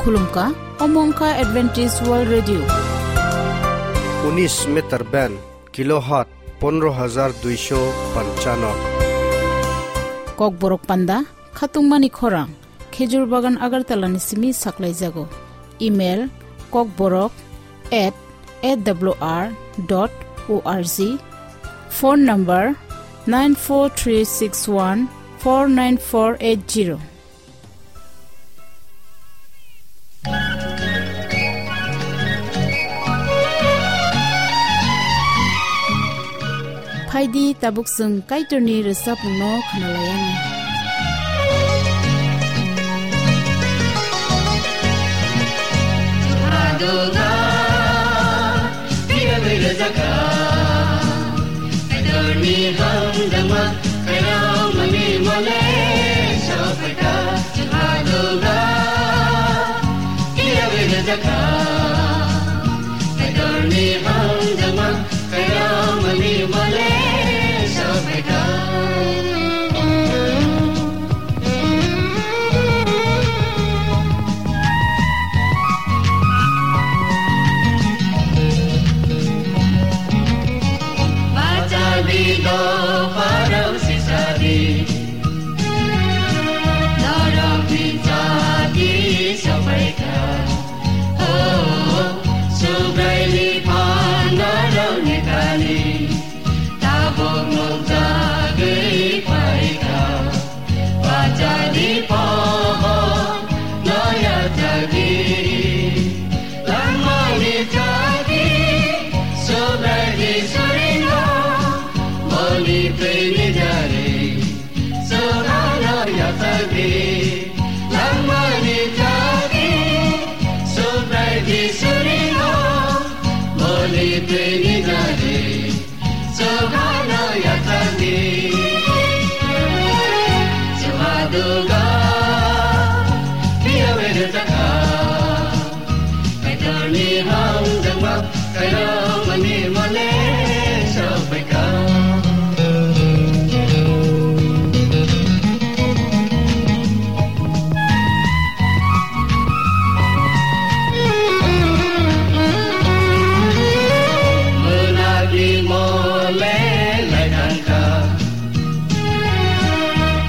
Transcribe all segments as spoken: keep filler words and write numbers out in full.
Khulumkha, omo wngkha Adventist World Radio. Unis meter band, kilohertz pondro hajar duisho panchano. Kokborok panda, khatungmani khorang, Khejur Bagan Agartala ni simi saklaijago. Email, kokborok at A W R dot O R G. Phone number, nine four three six one four nine four eight zero. Phaidi tabuk chwng Kaitorni rwchapmungno khwnalayani. Kaitorni hamjakma, kaitormani mole sophaikha. Chwng haduga, phiya bai rwjakha. Kaitorni hamjakma, kaitormani mole sophaikha. Bachadi do parau sisadi. Norokni chati sophaikha. O, Subraini phan norokni thani. Tabuk nukjagwi phaikha. Bachadi pohor noya chati. Langmani chati, Subraini suringo, boni peni jare, sohano yatagi. Langmani chati, Subraini suringo, boni peni jare, sohano yatagi. Chwng haduga, phiya bai rwjakha. Kaitorni hamjakma, kaitormani mole sophaikha. Mwnakni mole lai thangkha.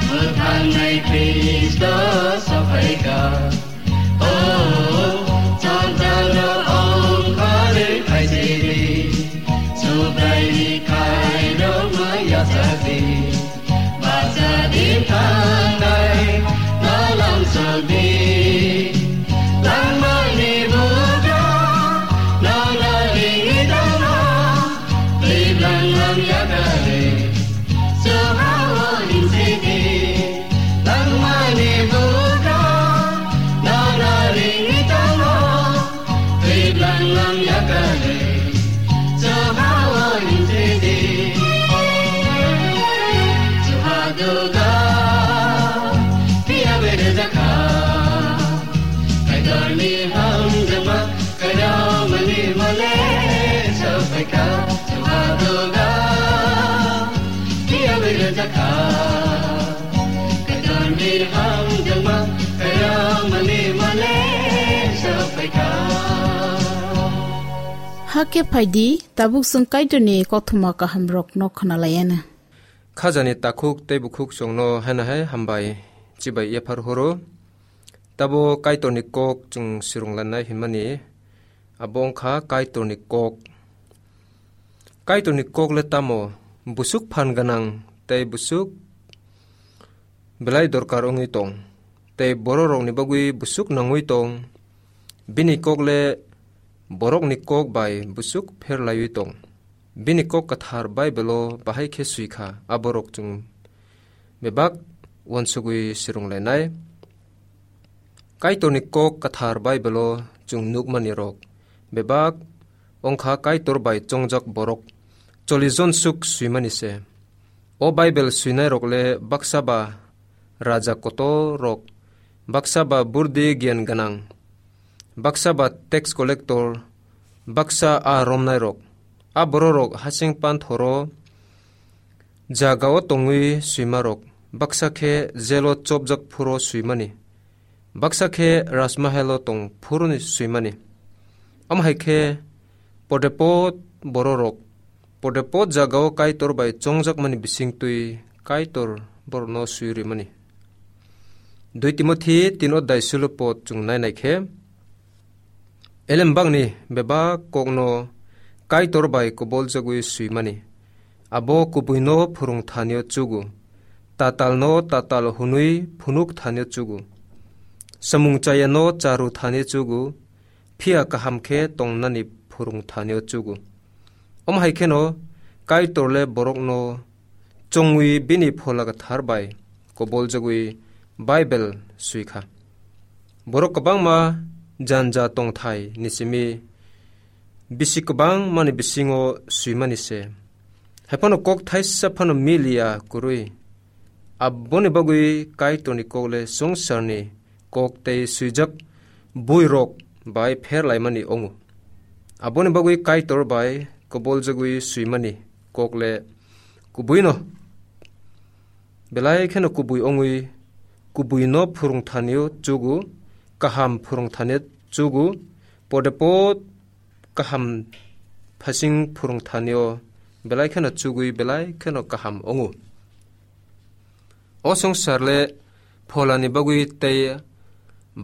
Mwthangnai Khristo sophaikha. O, chongjangno ongkhorwi phaisidi, Subraini khairokno yachakdi. Bachadi thangnai nolam sokdi. Langmani bugra nono ringwi tongno. Tiblang lam yakari, sohao hinsidi, langmani bugra, nana ringwi tongo. Tiblang lam yakari, sohao hinsidi. Sohaduga, phiya bai rwjakha. Kaitorni hamjakma, kaitormani mole sophaikha. Chwng haduga, phiya bai rwjakha. Kaitorni hamjakma, kaitormani mole sophaikha. Hakhe phaidi, tabuk chwng Kaitorni kothoma kahamrokno khwnalayana. Khajani takhuk tei bukhuk chwngno haino hai hambai chibai yaphar horo. Tabo Kaitorni kok chwng swrwnglanai hwnmani, abo wngkha Kaitorni kok. Kaitorni kok le tamo? Busuk phan gwnang tei busuk belai dorkar wngwi tong, tei bororokni bagwi busuk nangwi tong. Bini kok le borokni kok bai busuk pher laiwi tong. Bini kok kwthar Baibelo bahai khe swi kha, aborok chwng bebak uansugwi swrwnglainai. Kaitorni kok kwthar Baibelo chwng nukmani rok bebak wngkha Kaitor bai chongjak borok chollish jon suk swimani se. O Baibel swinairok le baksa ba raja kotor rok, baksa ba burdi giyan gwnang, baksa ba tax collector, baksa a romnairok. A bororok hasing panthoro jagao tongwi swimarok, baksa khe jelo chopjak phuro swimani. Baksa khe Raj Mahalo tong phuruni swimani. Omo hai khe podepod bororok, podepod jagao Kaitor bai chongjakmani bisingtwi Kaitor borokno swi rimani. Dui Timothi tin odai sulo pod chwng nainai khe, elembakni bebak kokno Kaitor bai koboljagwi swimani. Abo kubuino phwrwng thanio chugo, tatalno tatal hwnwi phunuk thanio chugo, samung chayano charu thanio chugo, phiya kaham khe tongnani phwrwng thanio chugo. Omo hai kheno Kaitorle borokno chongwi bini Phola Kwthar bai koboljagwi Bible swikha. Borok kwbangma janja tongthai ni simi bisi kwbangmani bisingo swimani se. Haiphano kok thaisa phano miliya kwrwi. Aboni bagwi Kaitorni kokle swngcharni kok tei swijak buirok bai pher laimani wngo. Aboni bagwi Kaitor bai koboljagwi swimani kokle kubuino belai kheno kubui wngwi, kubuino phwrwng thanio chugo, kaham phwrwng thanio chugo, podepod kaham phasing phwrwng thanio belai kheno chugwi belai kheno kaham wngo. O swngcharle pholani bagwi tei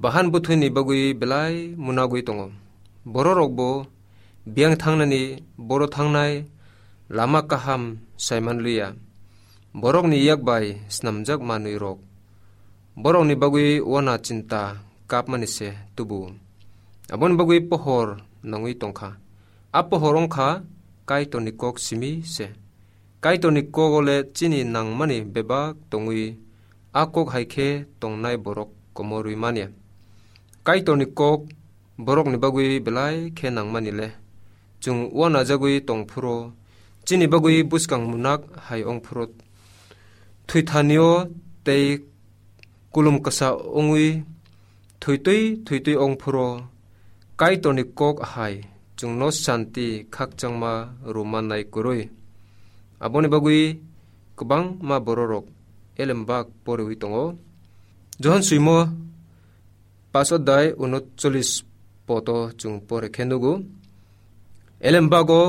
bahan bwthwini bagwi belai munagwi tongo. Bororokbo biyang thangnani, boro thangnai lama kaham saimanliya. Borokni yak bai snamjak manwirok borokni bagwi wana chinta kapmani se tubu. Aboni bagwi pohor nangwi tongkha. A pohor wngkha Kaitorni kok simi se. Kaitorni kok ole chini nangmani bebak tongwi, a kok hai khe tongnai borok komorwi manya. Kaitorni kok borokni bagwi belai khe nangmani le. Chwng uanajagwi tong phuro, chini bagwi bwskang munak hai wng phuro, thwithanio tei kulum kwsa wngwi thwitwi thwitwi wng phuro, Kaitorni kok hai chwngno santi khakchangma rwmannai kwrwi. Aboni bagwi kwbangma bororok elembak poriwi tongo. Johon swimo paso dai unotcholis poto chwng pore khe nugo. Elembago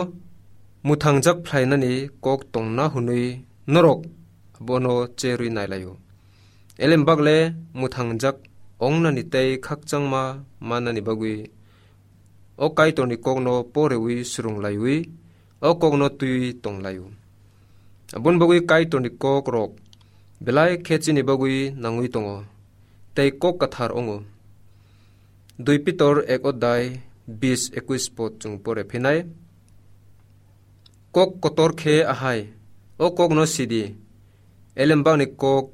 mwthangjak phlainani kok tongna hwnwi norok abono cherwi nailaio. Elembakle mwthangjak ongnani tei khakchangma mannani bagwi o Kaitorni kokno porewi swrwng laiwi o kokno twiwi tong laio. Aboni bagwi Kaitorni kokrok belai khe chini bagwi nangwi tongo, tei kok kwthar wngo. Dui Pitor ek odai bis ekwis pot chwng pore phinai. Kok kotor khe ahai, o kokno sidi, elembakni kok,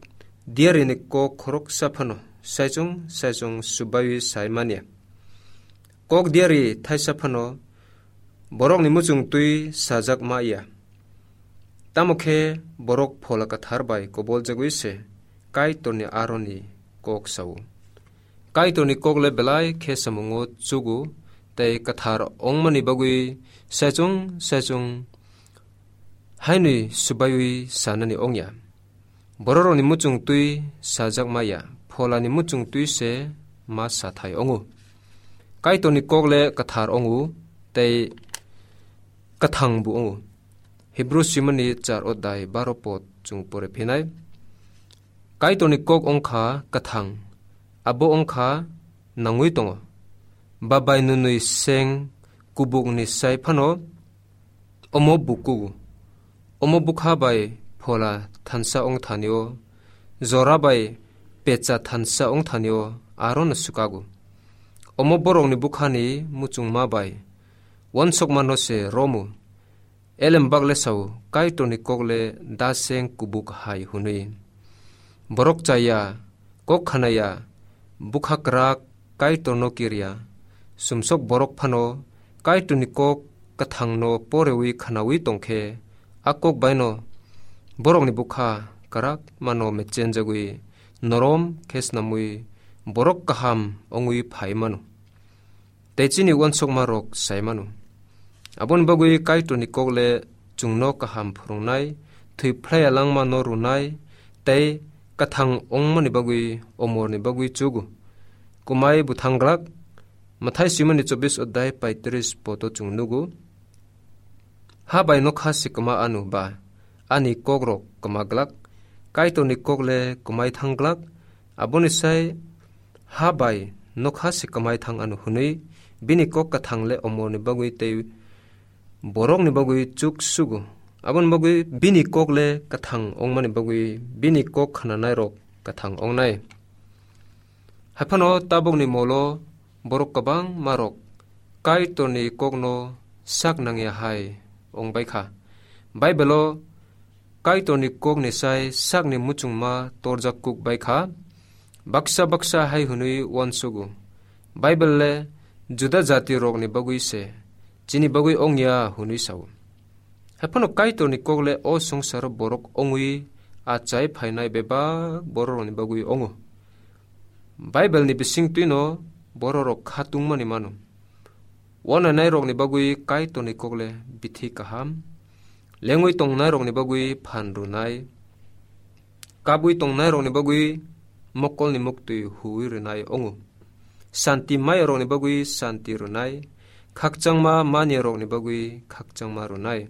diarini kok khoroksa phano saichung saichung subaiwi sai manya. Kok diari thaisa phano borokni muchung twi sajak ma ya. Tamo khe borok Phola Kwthar bai koboljagwi se Kaitorni aroni kok sao. Kaitorni kokle belai khe samungo chugo tei kwthar ongmani bagwi saichung saichung hainwi subaiwi sanani ongya. Bororokni muchung twi sajak ma ya, Pholani muchung twi se ma sathai ongo. Kaitorni kokle kwthar ongo tei kwthang bo ongo. Hebru simani char odai baro pot chwng pore phinai. Kaitorni kok ongkha kwthang, abo ongkha nangwi tongo. Babai nwnwi seng kubukni sai phano omo bukugo. Omo bukha bai Phola thansa ong thanio, jora bai pecha thansa ong thanio, arono swkago. Omo borokni bukhani muchungma bai wansokmano se romu. Elembakle sao, Kaitorni kokle daseng kubuk hai hwnwi. Borok chaya, kok khanaya, bukha kwrak Kaitorno kirya, sumsok borok phano Kaitorni kok kwthangno porewi khnawi tongkhe, a kok baino borokni bukha kwrak mano mechenjagwi norom khe snamwi borok kaham wngwi phai mano. Tei chini uansukmarok sai mano. Aboni bagwi Kaitorni kokle chwngno kaham phwrwngnai, thwi phlaiya langmano rwnai, tei kwthang wngmani bagwi omorni bagwi chugo. kwmai bwthang glak. Mathai swimani chobbish odhyay paitris poto chwng nugo. Ha bai nokha se kwma ano ba, ani kokrok kwma glak, Kaitorni kok le kwmai thang glak, aboni sai ha bai nokha se kwmai thang ano hwnwi bini kok kwthang le omorni bagwi tei borokni bagwi chuk sugo. Aboni bagwi bini kok le kwthang wngmani bagwi bini kok khnanairok kwthang wngnai. Haiphano tabukni molo borok kwbangmarok Kaitorni kokno sak nangya hai wng bai kha. Baibelo Kaitorni kokni sai sakni muchungma torjak kuk bai kha. Baksa baksa hai hwnwi uansugo, Baibel le Juda jatirokni bagwi se, chini bagwi wngya hwnwi sao. Haiphano Kaitorni kok le o swngcharo borok wngwi achai phainai bebak bororokni bagwi wngo. Baibelni bisingtwino bororok khatungmani mano. Uanainairokni bagwi Kaitorni kok le bithi kaham, lengwi tongnairokni bagwi phan rwnai, kabwi tongnairokni bagwi mokolni muktwi huwi rwnai wngo. Santi mayarokni bagwi santi rwnai, khakchangma maniyarokni bagwi khakchangma rwnai.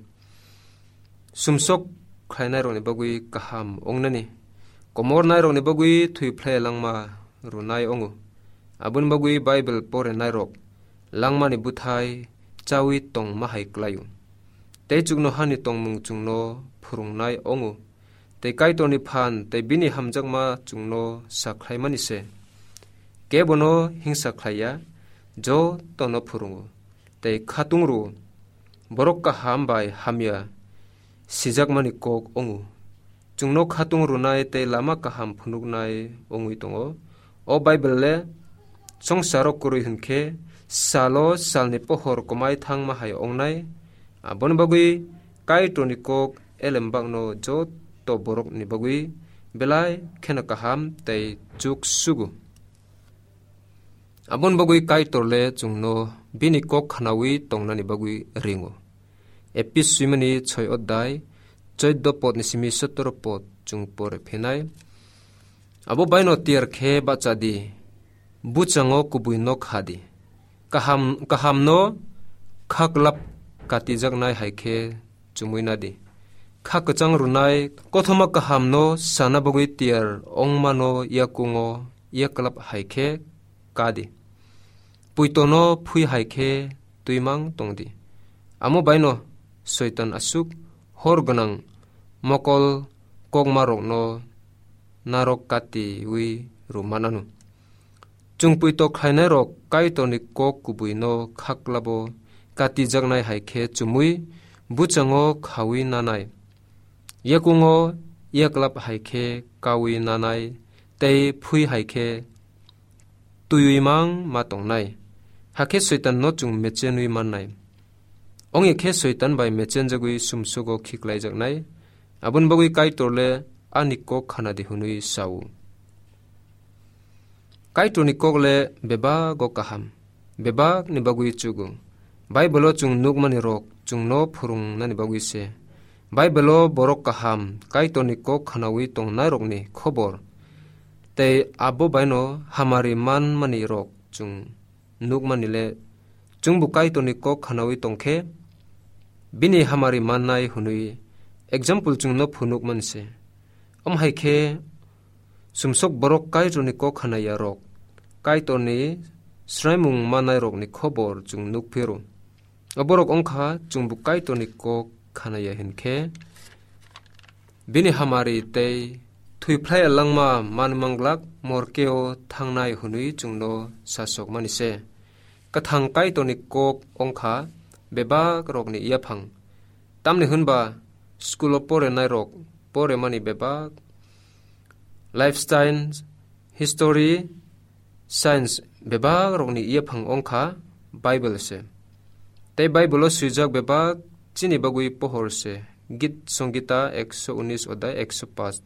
Sumsok khlainairokni bagwi kaham wngnani, komornairokni bagwi thwi phlai langma rwnai wngo. Aboni bagwi Baibel porenairok langmani bwthai chawi tongma hai klaio. Tei chuknohani tongmung chwngno phwrwngnai wngo. Tei Kaitorni phan tei bini hamjakma chwngno sa khlaimani se. Kebono hingsa khlaiya, jotono phwrwngo tei khatung rwo. Borok kaham bai hamya sijakmani kok wngo. Chwngno khatung rwnai tei lama kaham phunuknai wngwi tongo. O Baibel le swngcharo kwrwi hwn khe salo salni pohor kwmai thangma hai wngnai. Aboni bagwi Kaitorni kok elembakno joto borokni bagwi belai kheno kaham tei chuk sugo. Aboni bagwi Kaitor le chwngno bini kok khnawi tongnani bagwi ringo. Epis swimani soi odhyay, choido podni simi sotoro pod chwng pore phinai. Abo baino tiyar khe bacha di, buchango kubui nok ha di. Kaham, kahamno khaklap katijaknai hai khe chumui na di. Kha kwchang rwnai kothoma kahamno sana bagwi tiyar wngmano yakungo yaklap hai khe ka di. Puitono phui hai khe twimang tong di. Amo baino Soitan aswk hor gwnang mokol kokmarokno narok katiwi rw manano. Chwng puito khlainairok Kaitorni kok kubuino khaklabo katijaknai hai khe chumui buchango khawi nanai, yakungo yaklap hai khe kaui nanai tei phui hai khe twiwi mang ma tongnai. Hakhe Soitanno chwng mechenwi mannai. Ongya khe Soitan bai mechenjagwi sumsugo khiklaijaknai. Aboni bagwi Kaitor le ani kok khana di hwnwi sao. Kaitorni kok le bebago kaham, bebakni bagwi chugo. Baibelo chwng nukmani rok chwngno phwrwngnani bagwi se. Baibelo borok kaham Kaitorni kok khnawi tongnairokni khobor tei abo baino hamari manmani rok chwng nukmani le chwngbo Kaitorni kok khnawi tongkhe bini hamari mannai hwnwi example chwngno phunukmani se. Omo hai khe sumsok borok Kaitorni kok khnaya rok Kaitorni swraimung manai rokni khobor chwng nuk phiro. Oborok wngkha chwngbo Kaitorni kok khnaya hinkhe bini hamari tei thwiphlai langma manmanglak morkeo thangnai hwnwi chwngno sasokmani se. Kwthang Kaitorni kok wngkha bebak rokni yaphang. Tamni hwnba school o porenai rok poremani bebak life science, history, science bebak rokni yaphang wngkha Bible se. Tei Bible o swijak bebak chini bagwi pohor se. Git Songita ekso unis odai ekso pas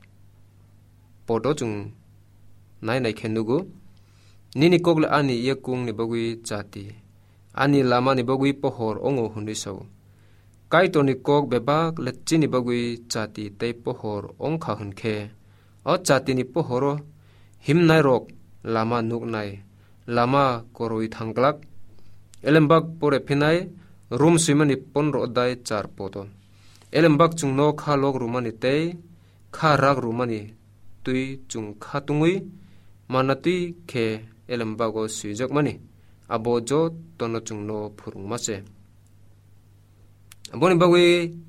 podo chwng nai nai khe nugo. Nini kok le ani yakungni bagwi chati, ani lamani bagwi pohor ongo hwnwi sao. Kaitorni kok bebak le chini bagwi chati tei pohor ongkha hwn khe, o chatini pohoro himnairok lama nuknai, lama koroi thangglak. Elembak pore phinai Rom swimani pondro odai char poto. Elembak chwngno kha lok rwmani tei kha rak rwmani twi chwng kha tungwi manna twi khe elembago swijakmani abo jotono chwngno phwrwngma se. Aboni bagwi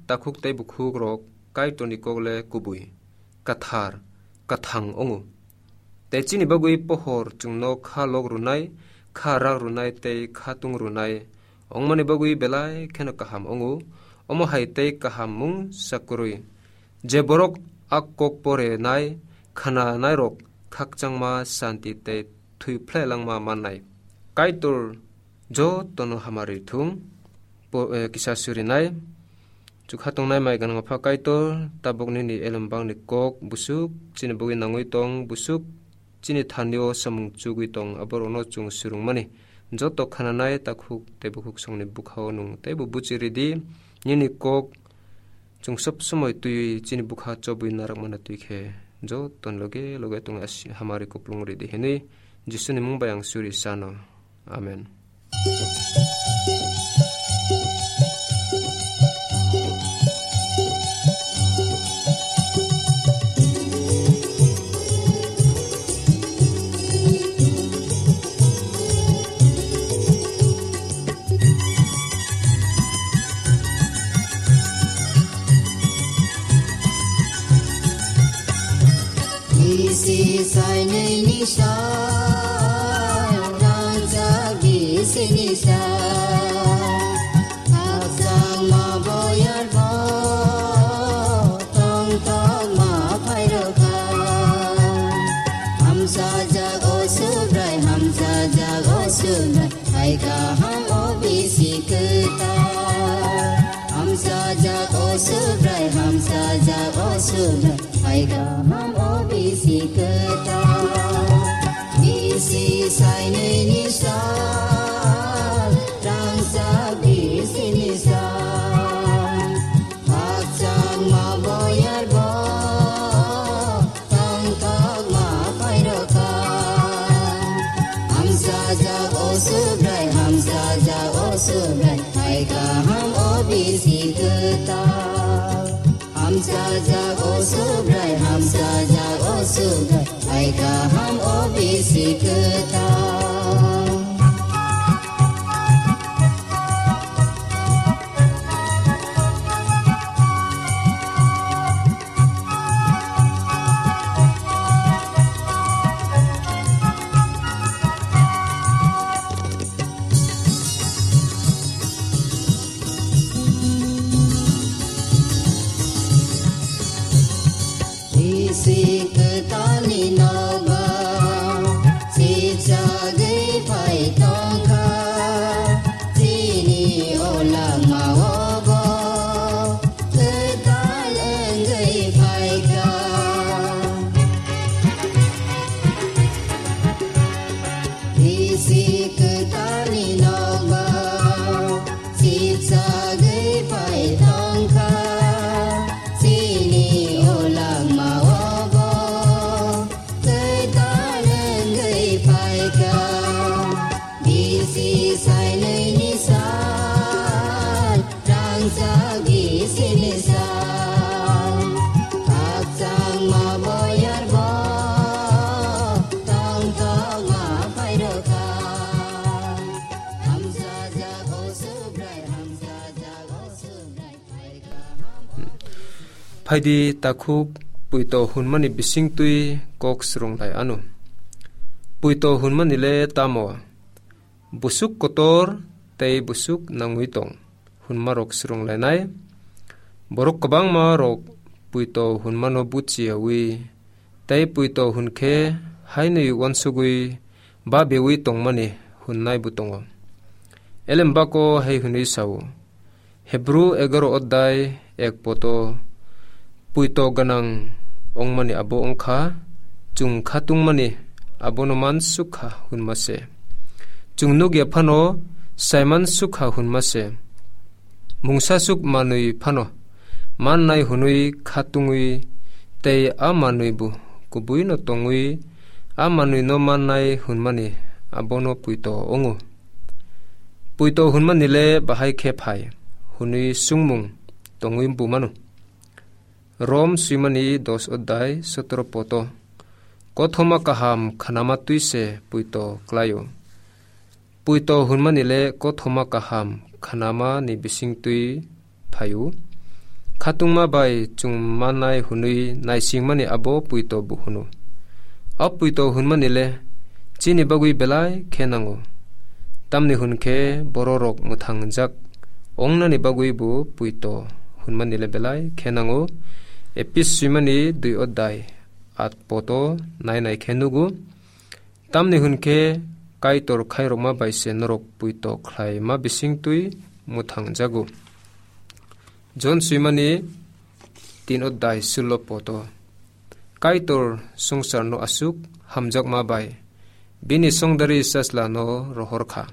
takhuk tei bukhukrok Kaitorni kok le kubui, kathar, kathang wngo. Tei chini bagwi pohor chwngno kha lok rwnai, kha rak rwnai tei kha tung rwnai wngmani bagwi belai kheno kaham wngo. Omo hai tei kaham mung sa kwrwi. Je borok a kok porenai, khananairok khakchangma santi tei thwi phlai langma mannai. Kaitor jotono hamari thung, po-, eh, kisa surinai. Chukha tongnai mai ganang pha Kaitor, tabuk nini elembangni kok busuk chini bagwi nangwi tong, busuk chini thanio samung chugwi tong, aborokno chwng surungmani. Joto khananai takhuk tei bukhuk songni bukhao nwng teibo buchi ridi, nini kok chwng sob somoi twiwi chini bukha chobwi narak mana twi khe, joto loge loge tong asi hamari kuplung ridi hinwi Jisuni mung bai ang suri sano. Amen. Bisi sainwi ni sa, rangchak bisi ni sa, khakchangma boyar bo, tongthokma phairokha. Hamsajak o Subrai, hamsajak o Subrai, hai kaham o bisi kwtal. Hamsajak o Subrai, hamsajak o Subrai, hai kaham o bisi kwtal. Bisi sainwi ni sal, rangchak bisi ni sal. Khakchangma boyar bo, tongthokma phairokha. Hamsajak o Subrai, hamsajak o Subrai, hai kaham o bisi kwtal. Hamsajak o Subrai, hamsajak o Subrai, hai kaham o bisi kwtal. Bisi kwtalni nogo sijagwi phai tongkha, chini o langmao bo kwtal wngwi phaikha. Bisi kwtalni nogo sijagwi phai tongkha, chini o langmao bo kwtal wngwi phaikha. Bisi sainwi ni sal, rangchak bisi ni sal, khakchangma boyar bo, tongthokma phairokha. Hamsajak o Subrai, hamsajak o Subrai, phaikha. Phaidi takhuk puito hwnmani bisingtwi kok swrwng lai anw. Puito hwnmani le tamo? Busuk kotor tei busuk nangwi tong hwnmarok swrwng lainai. Borok kwbangma rok puito hwnmano buchiyawi tei puito hwn khe hainwi uansugwi babewi tongmani hwnnai bo tongo. Elembako hai hwnwi sao, Hebru egaro odai ek poto, puito gwnang wngmani abo wngkha, chwng khatungmani abono mansukha hwnma se. Chwng nukya phano saimansukha hwnma se. Mungsasuk manwi phano mannai hwnwi khatungwi tei a manwi bo kubuino tongwi a manwino mannai hwnmani abono puito wngo. Puito hwnmani le bahai khe phai hwnwi swngmung tongwi bumano. Rom swimani dos odai sotoro poto. Kothoma kaham khanama twi se puito klaio. Puito hwnmani le kothoma kaham khanama ni bising twi phaio. Khatungma bai chwng mannai hwnwi naisingmani abo puito bo hwno. O puito hwnmani le chini bagwi belai khe nango. Tamni hwn khe bororok mwthangjak ongnani bagwi bo puito hwnmani le belai khe nango. Epis swimani dui odai at poto nai nai khe nugo. Tamni hwn khe Kaitor khairokma bai se norok puito khlaima bising twi mwthangjago. Jon swimani tin odai sullo poto. Kaitor swngcharno aswk hamjakma bai bini songdari sajlano rohor kha.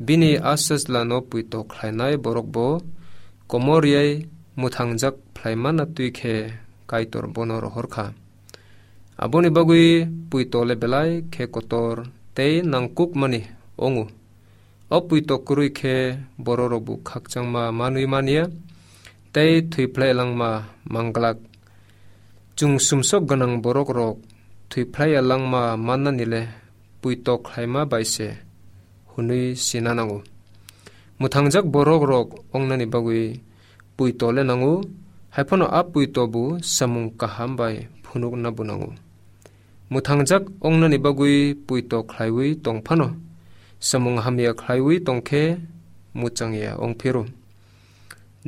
Bini a sajlano puito khlainai borok bo komor yai mwthangjak phlaimana twi khe Kaitor bono rohor kha. Aboni bagwi puito le belai khe kotor tei nangkukmani wngo. O puito kwrwi khe bororok bo khakchangma manwi manya tei thwi phlai langma manglak. Chwng sumsok gwnang borok rok thwi phlai ya langma mannani le puito khlaima bai se hwnwi sina nango. Mwthangjak borok rok ongnani bagwi puito le nango, hai phano a puito bo samung kaham bai phunukna bo nango. Mwthangjak ongnani bagwi puito khlaiwi tong phano, samung hamya khlaiwi tong khe mwchangya ong phiro.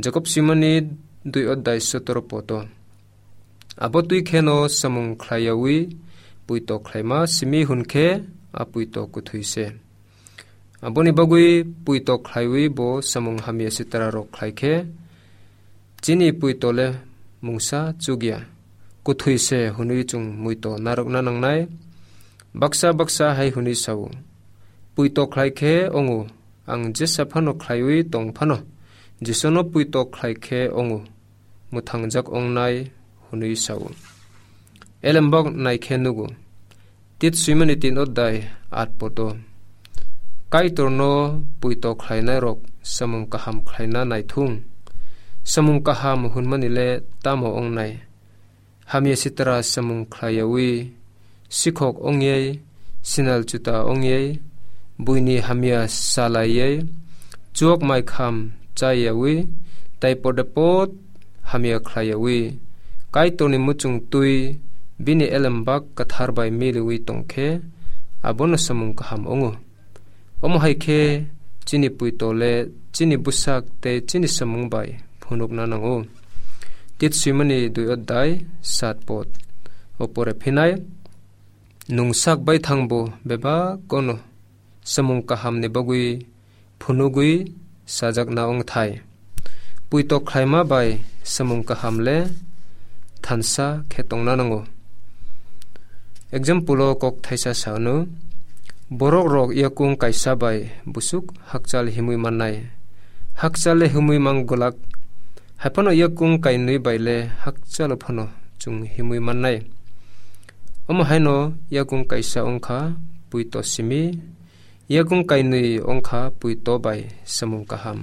Jakob swimani dui odai sotoro poto. Abo twi kheno samung khlaiyawi puito khlaima simi hwn khe a puito kwthwi se. Aboni bagwi puito khlaiwi bo samung hamya sitra rok khlai khe chini puito le mungsa chukya. Kwthwi se hwnwi chwng muito narwkna nangnai. Baksa baksa hai hwnwi sao, puito khlai khe ongo, ang jesa phano khlaiwi tong phano, Jisono puito khlai khe ongo, mwthangjak ongnai hwnwi sao. Elembok nai khe nugo. Tit swimani tin odai at poto. Kaitorno puito khlainai rok samung kaham khlaina naithung. Samung kaham hwnmani le tamo ongnai? Hamya sitra samung khlaiyawi, sikhok ongyai, sinal chuta ongyai, buini hamya salaiyai, chuak mai kham chayawi, tai pode pod hamya khlaiyawi, Kaitorni muchung twi bini elembak kwthar bai miliwi tongkhe, abono samung kaham ongo. Omo hai khe chini puito le chini bwsak tei chini samung bai phunukna nango. Tit swimani dui odai sat pod. O pore phinai, nwng sak bai thangbo bebak kono samung kahamni bagwi phunugwi sajakna wngthai. Puito khlaima bai samung kaham le thansa khe tongna nango. Example o kok thaisa sa hwno, borok rok yakung kaisa bai busuk hakchal himwi mannai. Hakchal le himwi mang gwlak, hai phano yakung kainwi bai le hakchalo phano chwng himwi mannai. Omo haino yakung kaisa wngkha puito simi, yakung kainwi wngkha puito bai samung kaham.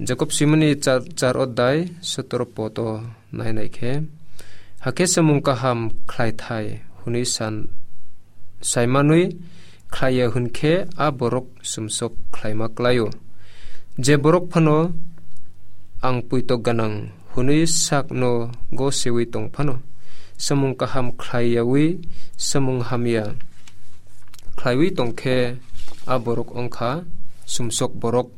Jakob swimani char, char odai sotoro pod o nai nai khe, hakhe samung kaham khlai thai hwnwi san, saimanwi khlaiya hwn khe a borok sumsok khlaima klaio. Je borok phano ang puito gwnang hwnwi sakno go sewi tong phano, samung kaham khlaiyawi samung hamya khlaiwi tong khe a borok wngkha sumsok borok.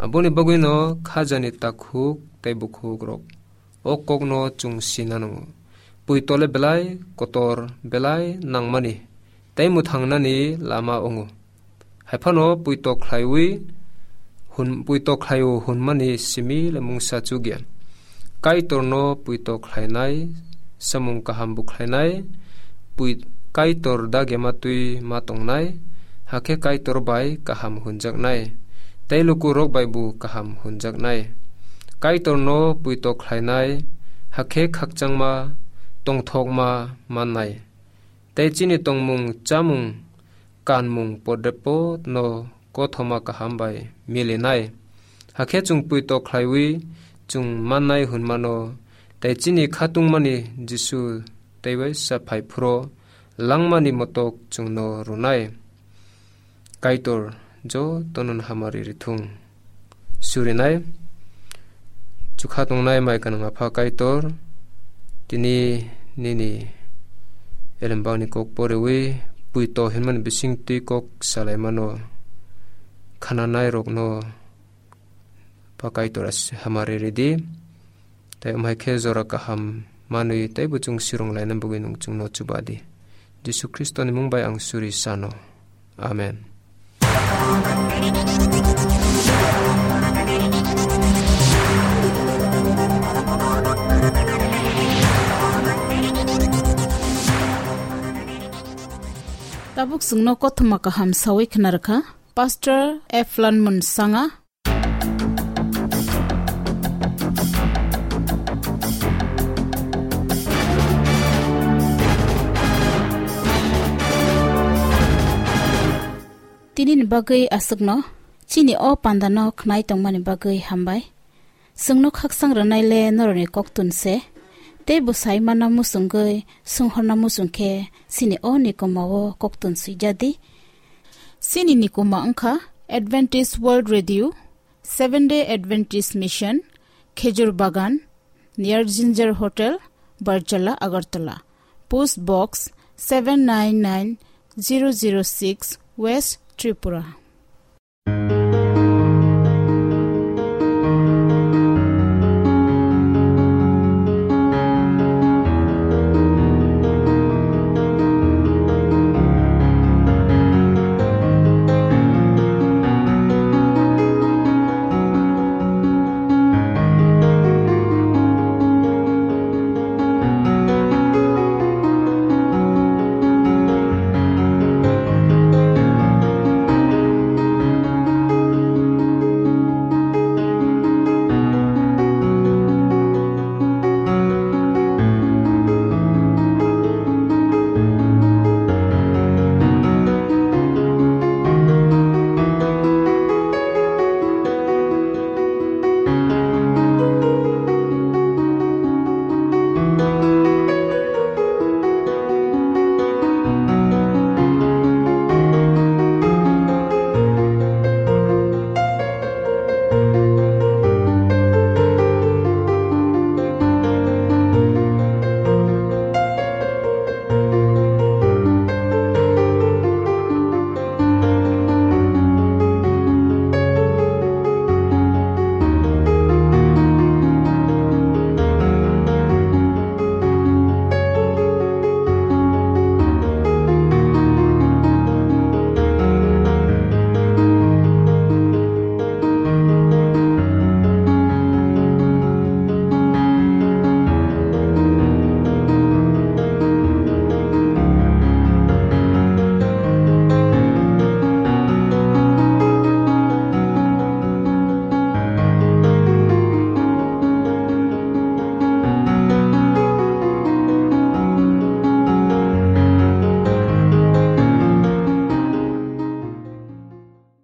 Aboni bagwino khajani takhuk tei bukhukrok o kokno chwng sina nango. Puito le belai kotor, belai nangmani tei mwthangnani lama wngo. Hai phano puito khlaiwi hwn, puito khlaio hwnmani simi le mungsa chukya. Kaitorno puito khlainai, samung kaham bo khlainai, pui-, Kaitor dagyama twi ma tongnai, hakhe Kaitor bai kaham hwnjaknai, tei lukurok bai bo kaham hwnjaknai. Kaitorno puito khlainai, hakhe khakchangma, tongthokma mannai. Tei chini tongmung chamung kanmung podepo no kothoma kaham bai milinai. Hakhe chwng puito khlaiwi chwng mannai hwnmano, tei chini khatungmani Jisu teibai sa phai phuro langmani motok chwngno rwnai. Kaitor jotono hamari rithung. Surinai chukha tongnai mai kanang Apha Kaitor, tini nini elembangni kok porewi puito hinmani bising twi kok salaimano khananai rokno Apha Kaitor as-, hamari ridi. Tei amhai khe jora kaham manwi teibo chwng sirung laina bagwi nwng chwngno chuba di. Jisu Khristoni mung bai ang suri sano. Amen. Tabuk chwngno kothoma kaham sawi khna rwkha Pastor F Lanmun Sanga. Tini ni bagwi aswkno, chini o panda no khnai tongmani bagwi hambai. Chwngno khaksang rwnai le norokni koktun se, tei bwsai manna muchungwi swnghorna muchung khe chini o nikoma o koktun swijak di. Chini nikoma wngkha Adventist World Radio, Seventh Day Adventist Mission, Khejur Bagan, near Ginger Hotel, Barjala, Agartala. Post Box seven nine nine zero zero six, West Tripura.